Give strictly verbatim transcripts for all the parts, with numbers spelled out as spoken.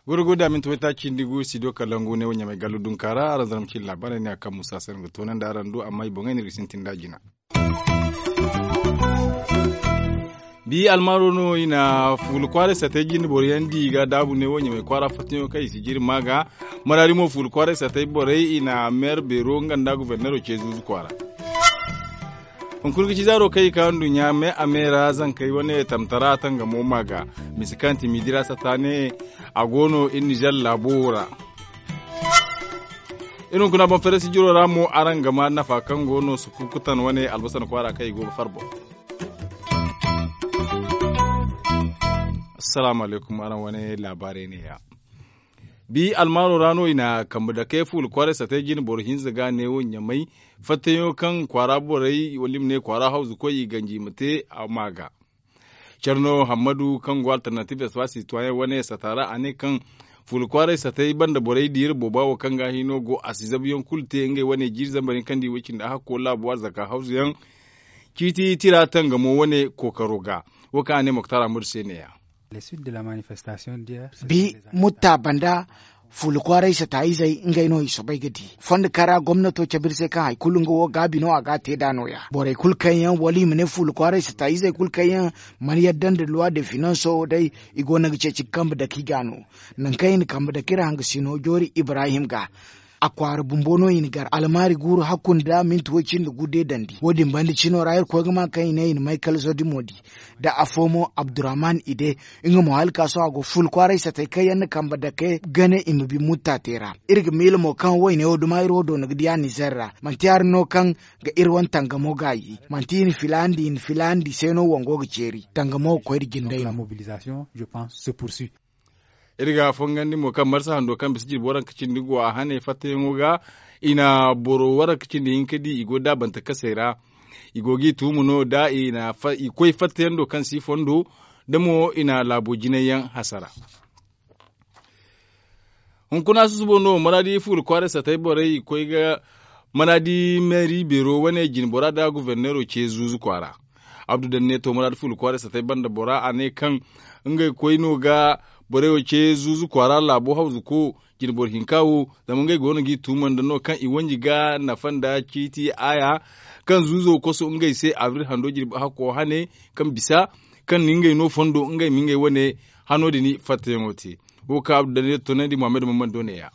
Gurguda minti waytaaci cindi gu studio kalangu ne wo ɲamay gallu dunka ra araŋ zarma cindi laabaarey ne a kaŋ musa se no ga toonandi araŋ du amma i boŋey no iri ga sintin nd'a jina. Bi almaaro no i na fuula kwaaray satay jine boro yaŋ di i ga daabu ne wo ɲamay kwaara fattayaŋo kaŋ i si jiri ma ga. Maraadi mo fuula kwaaray satay borey i na meer beero nga nda goforneero ce zuuzu kwaara. Hunkuna ga ci zaaro kaŋ i ka nduɲɲa me a me ra zankey wane tamtara tangamo ma ga. Misa kaŋ ti miidi ra sata ne a go no iri nizer laabo wo ra. Iri hunkuna boŋ farasi jiro ra mo araŋ ga ma nafa kaŋ go no sukukutan wane albasan kwaara kaŋ i go ga far boŋ. Assalaamu alaykum araŋ wane laabaarey ne ya. Bi almaaro ra no i na kambe dake fuula kwaaray satay jine boro hinza ga ne wo ɲamay fattayaŋo kaŋ kwaara borey wala i ma ne kwaara hawzu koy i ganji i ma te a ma ga. Care no hammadu kaŋ go alternatibe espace citoyen wane sata ra a ne kaŋ fuula kwaaray satay banda borey di iri booba wo kaŋ ga hino go a si zabuyaŋ kulu te ngey wane jiiri zambar hinka nda i way cindi a hakko laabo arzaka hawzu yaŋ ciiti tira tangamo wane kookaro ga. Wo kaŋ a ne moktar amadu se ne ya. Bi mutta banda fuula kwaaray sata izey ngey no i soobay ga di fondo kara gomnato cabe iri se kaŋ hari kulu nga wo gaabi no a ga a te nd'a no- ya borey kulu kaŋ yaŋ wala i ma ne fuula kwaaray sata izey kulu kaŋ yaŋ mana yadda nda luwa de finanso day i go no ga ceeci ga kambe dake i ga no. Nangu kaŋ i na kambe dake iri hangasino joori ibrahim ga a kwaara bumbo no i na gar almaari guuru hakku nda minti way cindi gu deedandi wo- din banda cino ra iri koy ga ma kaŋ i ne i na maykal zodimo di nda afo mo abdurrahman ide. Nga mo hala ka sohõ a go fuula kwaaray satay kaŋ yaŋ na kambe dake gane i ma bi mutta te ra. Iri ga miila mo kaŋ wayne wo duma iri wo doona ga di a nizer ra manti hari no kaŋ ga iri wane tangamo gaayi manti i na filaandi i na filaandi se no wango ga ceeri tangamo ga koy nda jinde no. Iri ga fongandi mo kaŋ marsa hando kaŋ bisa jirbi waranka cindi go a hane fattayaŋo ga i na boro waranka cindi hinka di i go daabante kasey ra. I go g'i tuumu no da i koy fattayaŋ do kaŋ si fondo da mo i na laabo jinay yaŋ hasara. Hunkuna susubo no maraadi fuula kwaaray satay borey i koy ga maraadi meeri beero wane jine bora nda goforneero ce zuuzu kwaara. Abdu danne to maraadi fuula kwaaray satay banda bora a ne kaŋ ngey koy no ga borey wo ce zuuzu kwaara laabo hawzuko jine boro hinka wo. Zama ngey go no g'i tuuma nda no kaŋ i wanji ga nafa nda ciiti aaya kaŋ zuuzo koso ngey se abril hando jirbi hakko hane kaŋ bisa kaŋ na ngey no fondo ngey ma ngey wane hano din fattayaŋo te. Wo kaŋ abdu danne tonandi muhammad mammando ne- ya.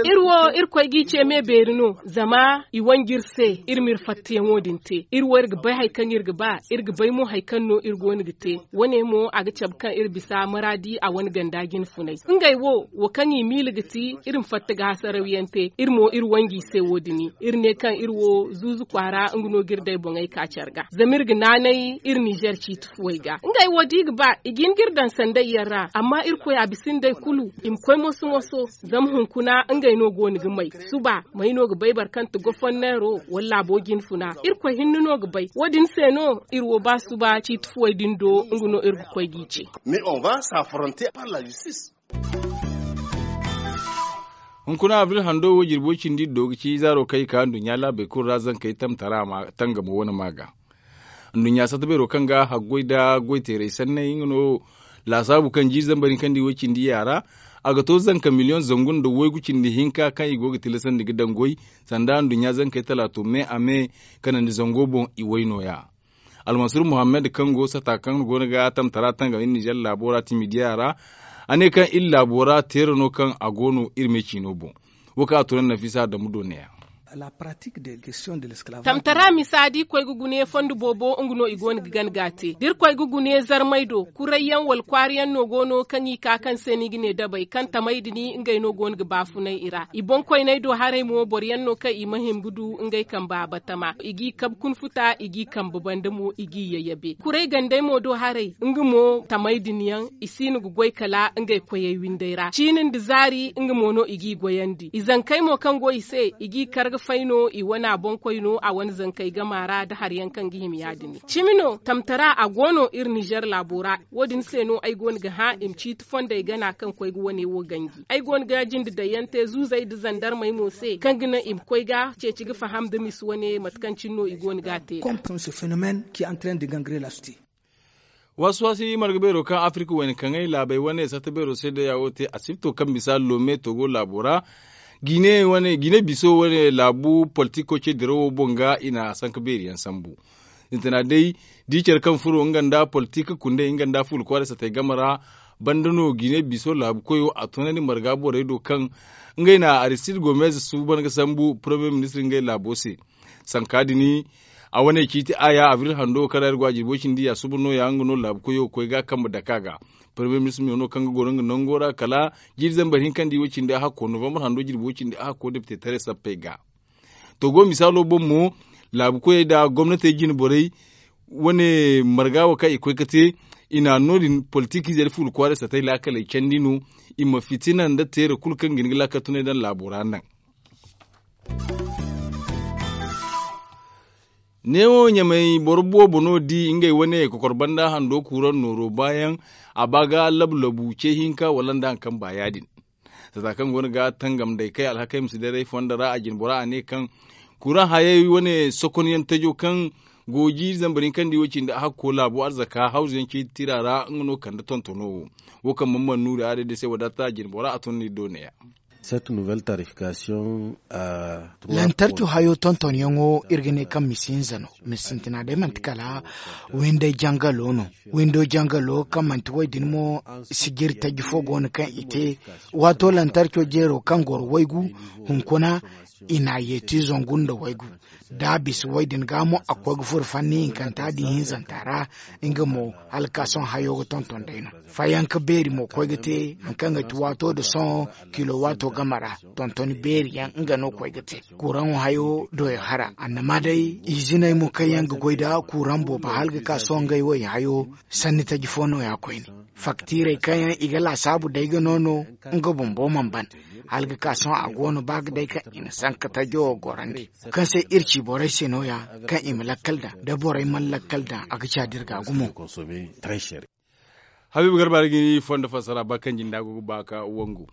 Iri wo iri koy g'i ce me beeri no zama i wanji iri se iri m'iri fattayaŋo din te iri wo iri ga bay hari kaŋ iri ga ba iri ga bay mo hari kaŋ no iri go no ga te. Wo- ne mo a ga cabe kaŋ iri bisa maraadi a wane ganda jine funay ngey wo wo kaŋ i miila ga ti iri ma fatta ga hasarawyaŋ te iri mo iri wanji i se wo- din. Iri ne kaŋ iri wo zuuzu kwaara nga no ga iri day boŋey ka care ga zama iri ga naanay iri nizer ciiti fuwey ga ngey wo da i ga ba i ga hin ga iri daŋ sanday yaŋ ra amma irkoy a bisa nda ay kulu i ma koy moso moso. Zama hunkuna ngey no go no ga may suba may no ga bay boro kaŋ ti goforneero wala laabo jinfuna irkoy hinne no ga bay wo- din se no iri wo ba suba ciiti fuwey din do nga no iri ga koy g'i ce. Hunkuna abril hando wo jirbo cindi do ga ci zaaro kaŋ i ka nduɲɲa laabey kulu ra zankey tamtara ma tangamo wane ma ga. Nduɲɲa satta beero kaŋ ga haggoy nda goyteerey sanney nga no laasaabu kaŋ jiiri zambar hinka nda i way cindi yaara. A ga to zanka miliyoŋ zangu nda waygu cindi hinka kaŋ i go ga tilasandi ga daŋ goy sanda nduɲɲa zankey talaato me a me kanandi zango boŋ i way nooya. Almansur muhammad kaŋ go sata kaŋ go no ga tamtara tangam iri nizer laabo ra timidiya ra. A ne kaŋ iri laabo ra teera no kaŋ a go no iri me ciino boŋ. Wo kaŋ a tuna nafisa adamu do ne- ya. Tamtara misa da iri koy ga gune fondo boobo nga no i go no ga gana ga a te da iri koy ga gune zarmay do kuray yaŋ wala kwaara yaŋ no go no kaŋ i ka kaŋ se no i ga ne dabey kaŋ tamay din ngey no go no ga baafunay i ra i boŋ koyney do haray mo boro yaŋ no kaŋ i ma hima ga du ngey kambe abatama i g'i kabe kunfuta i g'i kambe banda mo i g'i yayyabe kuray gandey mo do haray nga mo tamay din yaŋ i si no ga goy kala ngey koyey windey ra ciini nda zaari nga mo no i g'i goyandi i zankey mo kaŋ go i se i g'i kar ga Fay no i wana boŋkoy no a wane zankey gama ra nda hari yaŋ kaŋ ga hima ya- din. Cimi no tamtara a go no iri nizer laabo ra. Wo- din se no ay go no ga hã i ma ciiti fondey gana kaŋ koy ga wane wo ganji. Ay go no ga jinde daŋ yaŋ te zuuzey nda zandarmey mo se kaŋ ga naŋ i ma koy ga ceeci ga faham nda misi wane mate kaŋ cine no i go no ga a te. Waasi waasi marga beero kaŋ afirka wayna kaŋay laabey wane sata beero se day a wo te asibto kaŋ bisa lome togo laabo ra. Gine biso wane laabu politiko ce dirawo boŋ ga i na sanka beeri yaŋ sambu. Sintina day da i care kaŋ furo nga nda politik kundey nga nda fuula kwaara satey game ra. Banda no gine biso laabu koyo a tunandi marga borey do kaŋ ngey na aristid gomez suuban ga sambu paramiyer ministir ngey laabo se. Sanka din a wane ciiti aya abril hando kaŋ ra iri go a jirbi wo cindi ya suba no- ya nga no laabu koyo ga koy ga kambe dake a ga. Paramiyer ministir me no kaŋ ga goro nga nango ra kala jiiri zambar hinka nda i wo cindi a hakko novambar hando jirbi wo cindi a hakko depite taray sappey ga. To go misaalo boŋ mo laabu koyey nda gomnatey jine borey wane marga wo kaŋ i koy ga te i na no- din politikiize nda fuula kwaaray satey laakaley candi no. I ma fitina nda teera kulu kaŋ ga hin ga laakal tunay daŋ laabo ra naŋ. Neewo ɲamey boro boobo no di ngey wane kokor banda hando kuuraŋ nooro baayaŋ. A ba ga labu labu ce hinka wala nda hari kaŋ ba ya- din. Sata kaŋ go no ga tangam day kay alhakey ma si daray fondo ra a jine bora a ne kaŋ kuuraŋ hayey wane sokonyaŋ tajo kaŋ go jiiri zambar hinka nda i wo cindi a hakko laabo arzaka hawzu yaŋ ciiti tira ra nga no kande tontono wo. Wo kaŋ mana mana nuuri a day day se wadaata a jine bora a tun no iri do ne- ya. Lantarki hayo tontonyaŋo iri ga ne kaŋ misi hinza no. Misi sintina day manti kala winday jangalo no. Windo jangalo kaŋ manti wo- din mo sijiri taji fo go no kaŋ i te. Waato lantarco jeero kaŋ goro waygu hunkuna i na a yeeti zangu nda waygu. Da a bisa wo- din ga mo a ga koy ga furo fanni hinkanta da ihinzanta ra. Nga mo hala ga ka sohõ hayo ga tonton day no. Fayanka beeri mo koy ga te hari kaŋ ga ti waato nda sohõ kilo waato game ra. Tontoni beeri yaŋ nga no koy ga te. Kuuraŋo hayo doyo hara annama day iziney mo kaŋ yaŋ ga goy nda kuuraŋ boobo hala ga ka sohõ ngey wo i hayo. Sanni taji fo no- ya koyne. Faktiirey kaŋ yaŋ i ga laasaabu day ga no no nga bumbo mana ban. Hala ga ka sohõ a go no ba ga day kaŋ i na sanka tajo gorandi kaŋ se iri ci borey se no- ya kaŋ i ma lakkal daŋ da borey mana lakkal daŋ a ga caadi iri ga gumo. Habiibu garba ra ga ni fondo fassara ba kaŋ jinda go ga ba ka wangu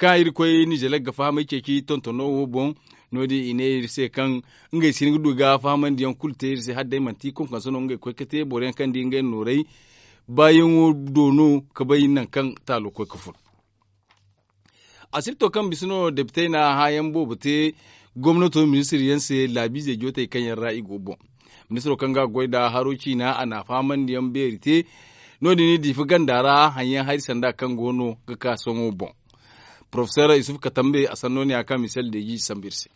kaŋ iri koy nizelag ga fahamay ceeci tontono wo boŋ. No- din i ne iri se kaŋ ngey si hin ga du ga fahamandiyaŋ kulu te iri se hala day manti konkonso no ngey koy ga te boro yaŋ kaŋ di ngey nooray baayaŋo do no ga bay nangu kaŋ taalo koy ga fun. Asibto kaŋ bisa no depitey na hãayaŋ boobo te gomnato ministir yaŋ se laabiizey jootey kaŋ yaŋ ra i go boŋ. Ministiro kaŋ ga goy nda haro ciina a na a fahamandiyaŋ beeri te. No- din i diifa ganda ra haŋyaŋ hari sanda kaŋ go no ga ka sohõ boŋ. Porofesor yusuf katambe a sanno ne a ka misel deeji sambu iri se.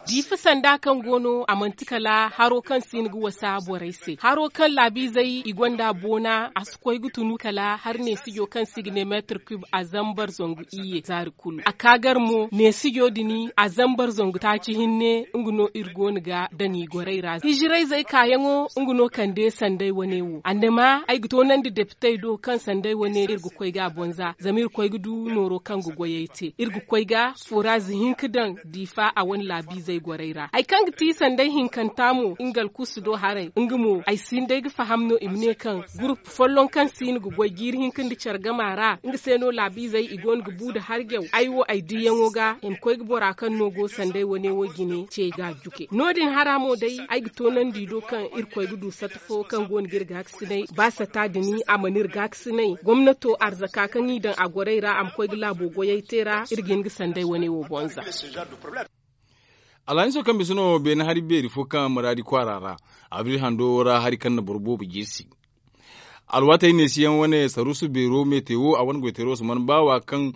Diifa sanda kaŋ go no a manti kala haro kaŋ si hin ga wasa borey se haro kaŋ laabiizey i gonda boona a si koy ga tunu kala hari neesijo kaŋ se i ga ne meetir kub a zambar zangu iyye zaari kulu a ka gar mo neesijo din a zambar zangu taaci hinne. Nga no iri go no ga daŋ i gorey ra hijirayzey kaayaŋo nga no kande sanday wane wo annama ay ga toonandi depitey do kaŋ sanday wane iri ga koy ga a bonza zama iri koy ga du nooro kaŋ ga goyey te iri ga koy ga fooraaz hinka daŋ diifa a wane laabiizey gorey ra hari kaŋ ga ti sanday hinkanta mo nga alkuusu do haray nga mo ay si hin day ga faham no i ma ne kaŋ gurup folloŋ kaŋ si hin ga goy jiiri hinka nda care gama ra nga se no laabiizey i go no ga bu nda harjaw ay wo ay diiyaŋo ga i ma koy ga bora kaŋ no go sanday wane wo jine ce ga a juke no- din hara mo day ay ga toonandi i do kaŋ iri koy ga du sata fo kaŋ go no ga iri gaakasinay ba sata din a mana iri gaakasinay gomnato arzaka kaŋ i daŋ a gorey ra a ma koy ga laabo goyey te ra iri ga hin ga sanday wane wo bonza. Alhamiso kaŋ bisa no beene hari beeri fo kaŋ maraadi kwaara ra abril hando ra hari kaŋ na boro boobo jirsi. Alwaatey neesiyaŋ wane saruusu beero meete wo a wane goyteero si mana baawa kaŋ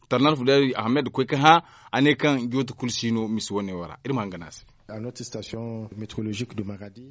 tarnar fudari ahmed koy ka hã a ne kaŋ joote kulu si no misi wane wo ra iri ma hangan a se.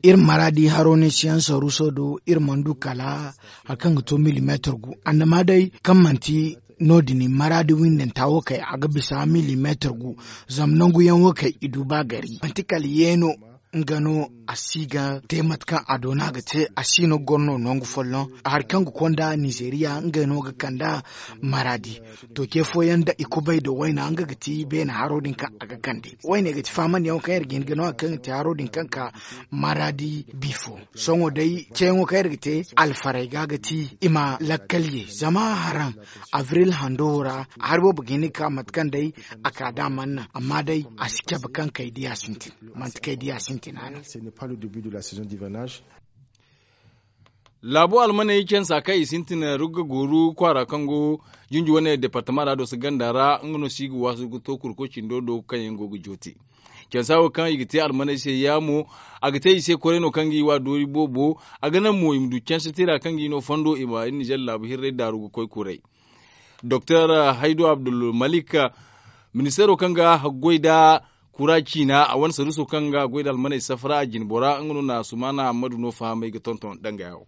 Iri maraadi haro neesiyaŋ saruuso do iri mana du kala hari kaŋ ga to milimeetir gu annama day kaŋ manti no- din maraadi windanta wo kay a ga bisa milimeetir gu. Zama nangu yaŋ wo kay i du ba gari manti kala yeeno. nga no a si ga te mate kaŋ a doona ga te a si no ga goro no nangu folloŋ. Hari kaŋ ga konda nizeriya ngey no ga kand'a maraadi. To ce fooyaŋ da i kubay nda wayna nga ga ti beene haro din kaŋ a ga kande. Wayne ga ti faamandiyaŋo kaŋ iri ga hin ga no hari kaŋ ga ti haro din kaŋ ka maraadi bifo. Sohõ day ceeyaŋo kaŋ iri ga te alfarey ga ga ti i ma lakkal ye zama haraŋ abril hando ra hari boobo ga hin ga ka mate kaŋ day a ka da a mana naŋ amma day a si cabe kaŋ kay diya sintin. Manti kay diya sintina no. Laabu almaney cansa kaŋ i sintin rugga gooru kwaara kaŋ go jinji wane departama ra doso ganda ra nga no se i ga waasu ga to kurko cindo do kaŋ yaŋ go ga joote. Cansa wo kaŋ i ga te almaney se yaamo a ga te i se koray no kaŋ ga i wa doori boobo. A ga naŋ mo i ma du canse tira kaŋ ga i no fondo i ma iri nizer laabu hirray daaru ga koy kuray. Doktor haydu abdulmalik ministeero kaŋ ga haggoy nda kura ciina a wane saruuso kaŋ ga goy nda almaney safara a jinbora nga no na sumaana hammadu no fahamay ga tonton dangaya wo.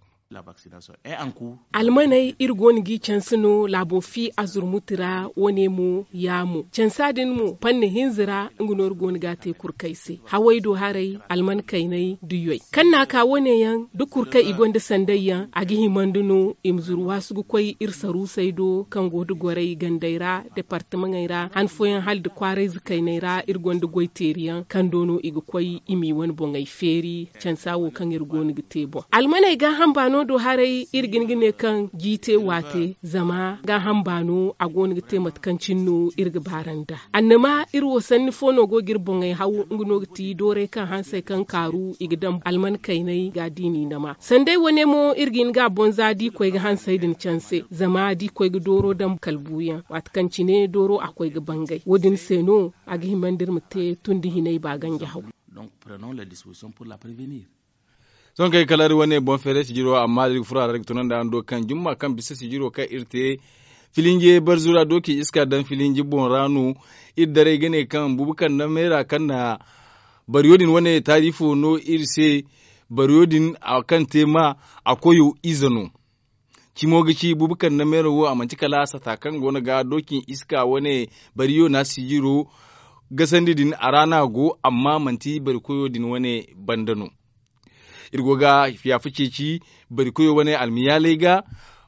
Almaney iri go no g'i canse no laabo fi azurmuti ra wane mo yaamo cansa din mo panne hinza ra nga no iri go no g'a te kurkay se haway do haray alman kaynay duyoy kaŋ n'a ka wane yaŋ da kurkay i gonda sanday yaŋ a ga himandi no i ma zuru waasu ga koy iri saruusey do kaŋ go nda goray gandey ra departamaŋey ra han fooyaŋ hala nda kwaarayze kayney ra iri gonda goy teeri yaŋ kaŋ do no i ga koy i m'i wane boŋey feeri cansa wo kaŋ iri go no ga te boŋ almaney gaaham baano do haray iri ga hin ga ne kaŋ jiite waate zama gaaham baano a go no ga te mate kaŋ cine no iri ga baarandi a annama iri wo sanni fo no go ga iri boŋey haw nga no ga ti doorey kaŋ hansey kaŋ kaaru i ga daŋ alman kayney ga diini nama sanday wane mo iri ga hin ga a bonza da i koy ga hansey din canse zama da i koy ga dooro daŋ kala buuyaŋ waati kaŋ cine dooro a koy ga bangay wo- din se no a ga himandi iri ma te tun da hinay ba ganja haw. Sohõ kaŋ ay kala iri wane boŋ feeray sijiro amma da iri ga furo a ra iri ga tunandi araŋ do kaŋ jumma kaŋ bisa sijiro kaŋ iri te filinje barzu ra dooci iska daŋ filinje boŋ ra no. Iri daray ga ne kaŋ buubu kaŋ na meera kaŋ na bariyo din wane taarifo no iri se. Bariyo din kaŋ te ma a koyo ize no. Cimo ga ci buubu kaŋ na meera wo a manti kala sata kaŋ go no ga dooci iska wane bariyo na sijiro gasandi din a ra no a go amma manti bari koyo din wane banda no. Iri go ga fiyafa ceeci bari koyo wane almiyaaley ga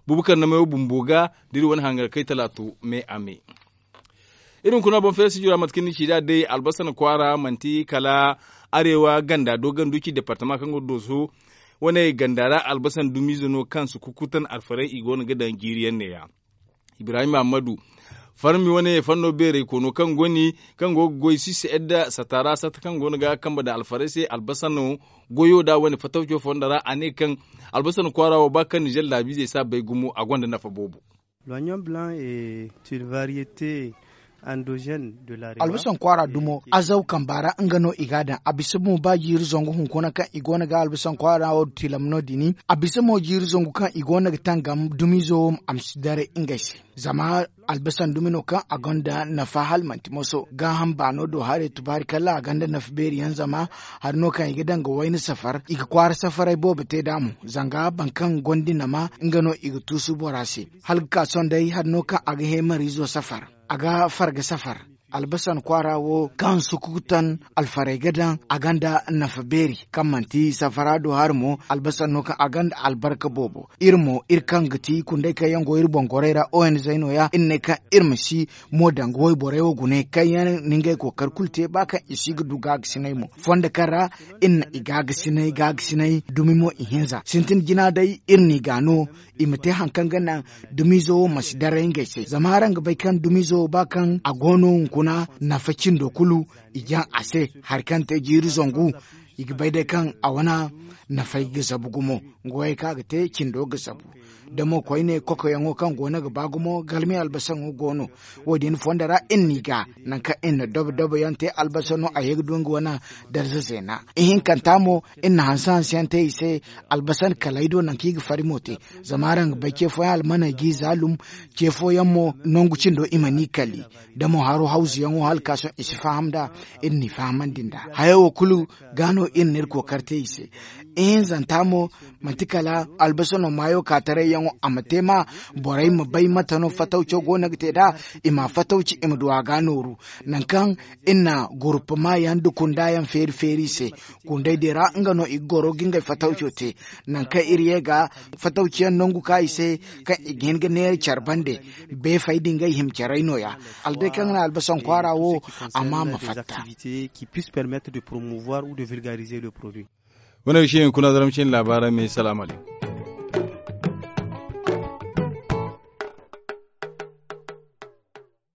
buubu kaŋ na meera wo bumbo ga da iri wane hangar kay talaato me a me. Iri hunkuna boŋ feere sijira mate kaŋ ni ci nd'a day albasan kwaara manti kala arewa ganda dooganduci departama kaŋ go dooso wane ganda ra albasan dumiize no kaŋ si kukutan alfarey i go no ga daŋ jiiri yaŋ ne- ya. Ibrahim ammadu farmi wane fanno beeray koono kaŋ go ni kaŋ go ga goy sisi edda sata ra sata kaŋ go no ga kambe daŋ alfarey se albasano goyo nd'a wane fatawco fonda ra a ne kaŋ albasan kwaara wo ba kaŋ nizer laabiizey si a bay gumo a gonda nafa boobo. Albasan kwaara dumo azaw kamba ra nga no i ga a daŋ a bisa mo ba jiiri zangu hunkuna kaŋ i go no ga albasan kwaara wo tilam no- din a bisa mo jiiri zangu kaŋ i go no ga tangam dumiizo wo a ma si daray ngey se. Zama albasan dumi no kaŋ a gonda nafa hala manti moso gaaham baano do haray tubaari kala a gonda nafa beeri yaŋ zama hari no kaŋ i ga daŋ ga wayna safar i ga kwaara safaray boobo te nd'a mo zanga boro kaŋ gonda i nama nga no i ga tuusu bora se. Hala ga ka sohõ day hari no kaŋ a ga heemariizo safar a ga farga safar. Albasan kwaara wo kaŋ sukutan alfarey ga daŋ a gonda nafa beeri kaŋ manti safara do hari mo albasan no kaŋ a gonda albarka boobo. Iri mo iri kaŋ ga ti kunday kaŋ yaŋ go iri boŋ gorey ra o n z no- ya iri ne kaŋ iri ma si mo danga wayborey wo gune kaŋ yaŋ na ngey kookari kulu te ba kaŋ i si ga du gaagasinay mo fondo kaŋ ra iri na i gaagasinay gaagasinay dumi mo ihinza sintin jina day iri n'i ga no i ma te hari kaŋ ga naŋ dumiizo wo ma si daray ngey se zama araŋ ga bay kaŋ dumiizo wo ba kaŋ a go no hunkuna nafa cindo kulu i jaŋ a se hari kaŋ te jiiri zangu i ga bay day kaŋ a wane nafay ga zabu gumo. Nga wo hari kaŋ a ga te cindo ga zabu da mo koyne kokoyaŋo kaŋ go no ga ba gumo galmi albasaŋo go no. Wo- din fondo ra iri n'i ga nangu kaŋ iri na dobo dobo yaŋ te albasano a ye ga du nga wane darza zeena ihinkanta mo iri na hanse hanse yaŋ te i se. Albasan kalay do nangu kaŋ i ga fari mo te zama araŋ ga bay ce fooyaŋ almaney g'i zaalum ce fooyaŋ mo nangu cindo i mana i kali da mo haro hawzuyaŋo hala ka sohõ i si faham nd'a. Iri n'i fahamandi nd'a hayo wo kulu ga no Iri n'iri kookari te i se. Ihinzanta mo, manti kala albasa no maayo ka taray yaŋo a ma te ma, borey ma bay mate no fatawco go no ga te nd'a. I ma fatawci i ma du a ga nooru. Nangu kaŋ iri na gurupama yaŋ nda kunda yaŋ feeri feeri i se, kundey din ra nga no i ga goro ga ngey fatawco te. Nangu kaŋ iri ye ga fatawciyaŋ nangu ka i se, kaŋ i ga hin ga neera care bande. Beefey din ngey hima carey no- ya. Hala day kaŋ ga naŋ albasaŋ kwaara wo a ma ma fatta. Qui puisse permettre de promouvoir ou de vulgariser le produit. Wane ga si hunkuna zaramcin laabaarey me salaamu aleykum.